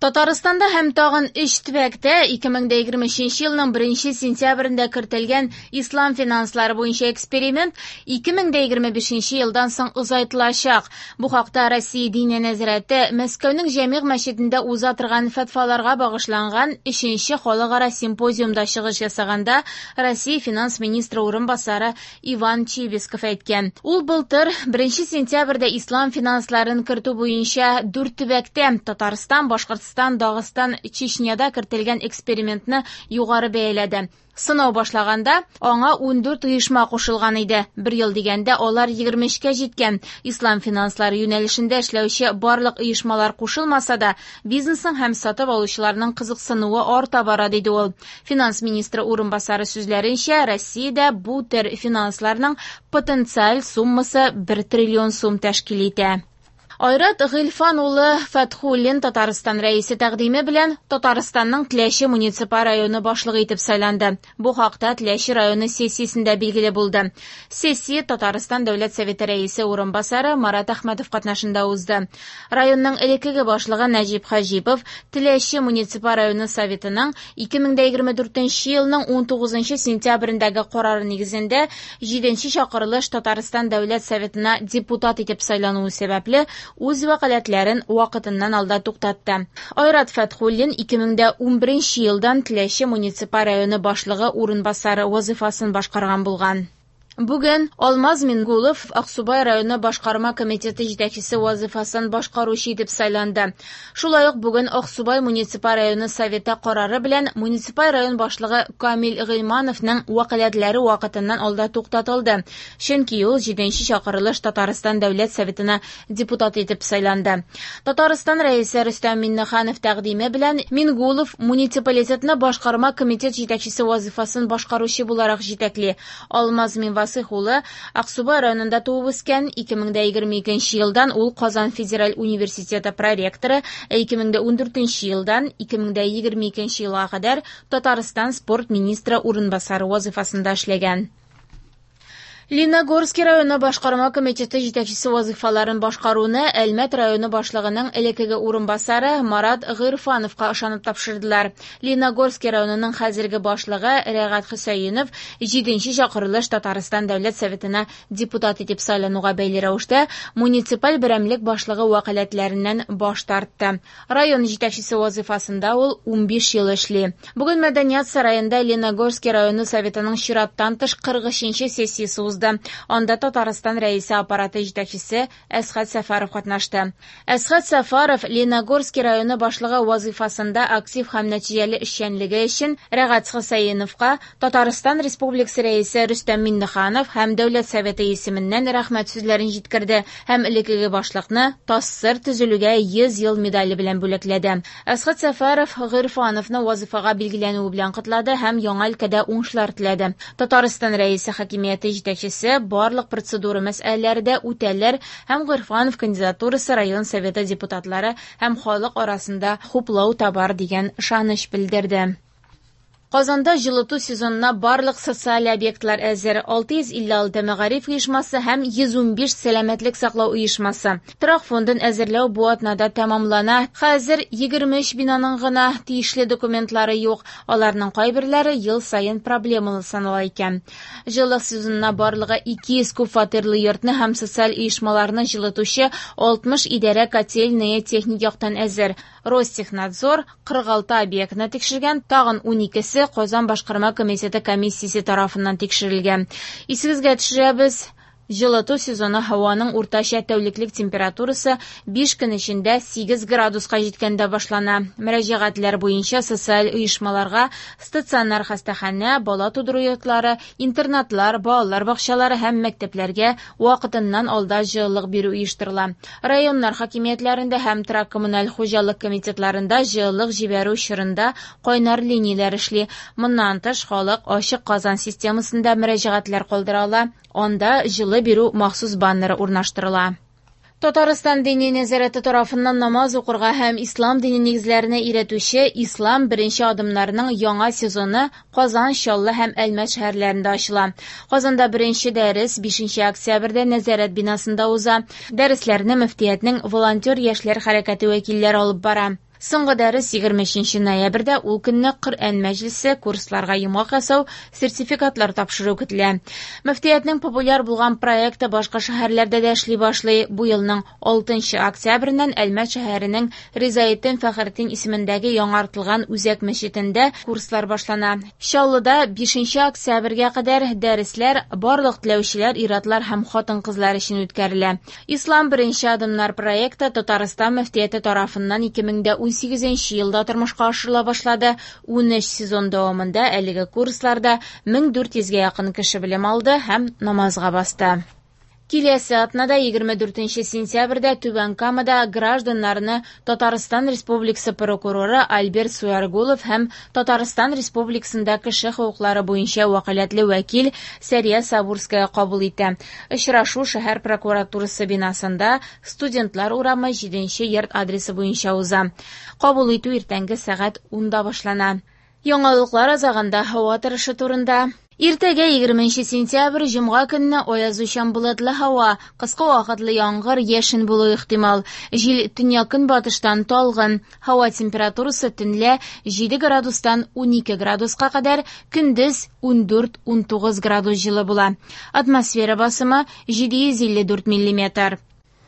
Татарстанда һәм тагын өч төбәктә 2023 елның 1 сентябрендә кертелгән ислам финанслары буенча эксперимент 2025 елдан соң озайтылачак. Бу хакта Россия Диния нәзарәте Мәскәүнең Җәмигъ мәчетендә уза торган фәтваларга багышланган 3нче халыкара симпозиумда чыгыш ясаганда Россия финанс министры урынбасары Иван Чибисков әйткән. Ул былтыр 1 сентябрьдә ислам финансларын кертү буенча дүрт төбәктә Татарстан, Башкортстан, Дагыстан, Чечняда кертелгән экспериментны югары бәяләде. Сынау башлаганда аңа 14 оешма кушылган иде. Бер ел дигәндә алар 23-кә җиткән. Ислам финанслары юнәлешендә эшләүче барлык оешмалар кушылмаса да, бизнесның һәм сатып алучыларның кызыксынуы арта бара, диде ул. Финанс министры урынбасары сүзләренчә, Россиядә бу төр финансларның потенциаль суммасы 1 триллион сум тәшкил итә. Айрат Гыйльфан улы Фәтхуллин Татарстан Рәисе тәкъдиме белән Татарстанның Теләче муниципаль районы башлыгы итеп сайланды. Бу хакта Теләче районы сессиясендә билгеле булды. Сессия Татарстан Дәүләт Советы Рәисе урынбасары Марат Әхмәтов катнашында узды. Районның элеккеге башлыгы Нәҗип Хаҗипов Теләче муниципаль районы Советының 2024 елның 19 сентябрендәге карары нигезендә 7 чакырылыш Татарстан Дәүләт Советына депутат итеп сайлануы сәбәпле үз вәкаләтләрен вакытыннан алда туктатты. Айрат Фәтхуллин 2011 елдан Теләче муниципаль районы башлыгы урынбасары вазифасын башкарган булган. Бүген Алмаз Мингулов Аксубай районы башкарма комитеты җитәкчесе вазифасын башкаручы итеп сайланды. Шулай ук бүген Аксубай муниципаль районы советы карары белән муниципаль район башлыгы Камил Гыйльмановның вәкаләтләре вакытыннан алда туктатылды. Чөнки ул 7нче чакырылыш Татарстан Дәүләт Советына депутат итеп сайланды. Татарстан Рәисе Рөстәм Миңнеханов тәкъдиме белән Мингулов муниципалитетны башкарма комитет җитәкчесе вазифасын башкаручы буларак җитәкли. Алмаз Минвасых улы Аксубай районында туып үскән. 2022 елдан ул Казан федераль университеты проректоры, ә 2014 елдан 2022 елга кадәр Татарстан спорт министры урынбасары вазифасында эшләгән. Лениногорский районы башкарма комитеты җитәкчесе вазифаларын башкаруны Әлмәт районы башлыгының элеккеге урынбасары Марат Гыйрфановка ышанып тапшырдылар. Лениногорский районының хәзерге башлыгы Рәгать Хөсәенов 7нче чакырылыш Татарстан Дәүләт Советына депутат итеп сайлануга бәйле рәвештә муниципаль берәмлек башлыгы вәкаләтләреннән баш тартты. Район җитәкчесе вазифасында ул 15 ел эшли. Бүген Мәдәният сараенда Лениногорский районы советының чираттан тыш 43нче сессиясе узды. Анда Татарстан Рәисе аппараты җитәкчесе Әсхәт Сәфәров катнашты. Әсхәт Сәфәров Лениногорский районы башлыгы вазифасында актив һәм нәтиҗәле эшчәнлеге өчен Рәгать Хөсәеновка Татарстан Республикасы Рәисе Рөстәм Миңнеханов һәм Дәүләт Советы исеменнән рәхмәт сүзләрен җиткерде һәм элеккеге башлыкны ТАССР төзелүгә 100 ел медале белән бүләкләде. Әсхәт Сәфәров Гыйрфановны вазифага билгеләнүе белән котлады һәм яңа өлкәдә уңышлар теләде. Татарстан Рәисе хакимияте җитәкчесе барлык процедура мәсьәләләре дә үтәлер һәм Гыйрфанов кандидатурасы район советы депутатлары һәм халык арасында хуплау табар дигән ышаныч белдерде. Казанда җылыту сезонына барлык социаль объектлар әзер. 656 мәгариф оешмасы һәм 115 сәламәтлек саклау оешмасы. Торак фондын әзерләү бу атнада тәмамлана. Хәзер 23 бинаның гына тиешле документлары юк. Аларның кайберләре ел саен проблемалы санала икән. Җылылык сезонына барлыгы 200 күп фатирлы йортны һәм социаль оешмаларны җылытучы 60 идарә котельные техник яктан әзер. Ростехнадзор 46 объектны тикшергән, тагын 12-се Казан башкарма комитеты комиссиясе тарафыннан тикшерелгән. Исегезгә төшерәбез, җылыту сезоны һаваның уртача тәүлеклек температурасы 5 көн эчендә 8 градуска җиткәндә башлана. Мөрәҗәгатьләр буенча социаль оешмаларга стационар хастаханә, бала тудыру йортлары, интернатлар, балалар бакчалары һәм мәктәпләргә вакытыннан алда җылылык бирү оештырыла. Районнар хакимиятләрендә һәм торак коммуналь хуҗалык комитетларында җылылык җибәрү чорында кайнар линияләр эшли. Моннан тыш, халык ачык Казан системасында мөрәҗәгатьләр калдыра ала. Анда җылы бирү махсус баннеры урнаштырыла. Татарстан Дини нәзарәте тарафыннан намаз укырга һәм ислам дине нигезләренә өйрәтүче Ислам беренче адымнарының яңа сезоны Казан, Чаллы һәм Әлмәт шәһәрләрендә ачыла. Казанда беренче дәрес 5 октябрьдә нәзарәт бинасында уза. Дәресләрне мөфтиятнең волонтер яшьләр хәрәкәте вәкилләре алып бара. Соңгы дәрес 23 ноябрьдә, ул көнне Коръән мәҗлесе, курсларга йомгак ясау, сертификатлар тапшыру көтелә. Мөфтиятнең популяр булган проекты башка шәһәрләрдә дә эшли башлый. Бу елның 6 октябреннән Әлмәт шәһәренең Ризаэтдин Фәхретдин исемендәге яңартылган үзәк мәчетендә курслар башлана. Чаллыда 5 октябрьгә кадәр дәресләр барлык теләүчеләр, ир-атлар һәм хатын-кызлар өчен үткәрелә. Ислам беренче адымнар проекты Татарстан мөфтияте тарафыннан 2018 елда тормышка ашырыла башлады. 13 сезон дәвамында әлеге курсларда 1400гә якын кеше белем алды һәм намазга басты. Киләсе атнада 24 сентябрьдә Түбән Камада гражданнарны Татарстан Республикасы прокуроры Альберт Суяргулов һәм Татарстан Республикасында кеше хокуклары буенча вәкаләтле вәкил Сәрия Сабурская кабул итә. Очрашу шәһәр прокуратурасы бинасында Студентлар урамы 7 йорт адресы буенча уза. Кабул итү иртәнге сәгать 10да башлана. Яңалыклар азагында һава торышы турында. Иртәгә 20 сентябрь җомга көнне аязучан болытлы һава, кыска вакытлы яңгыр, яшен булуы ихтимал. Җил төньяк-көнбатыштан талгын. Һава температурасы төнлә 7 градустан 12 градуска кадәр, көндез 14-19 градус җылы була. Атмосфера басымы 754 миллиметр.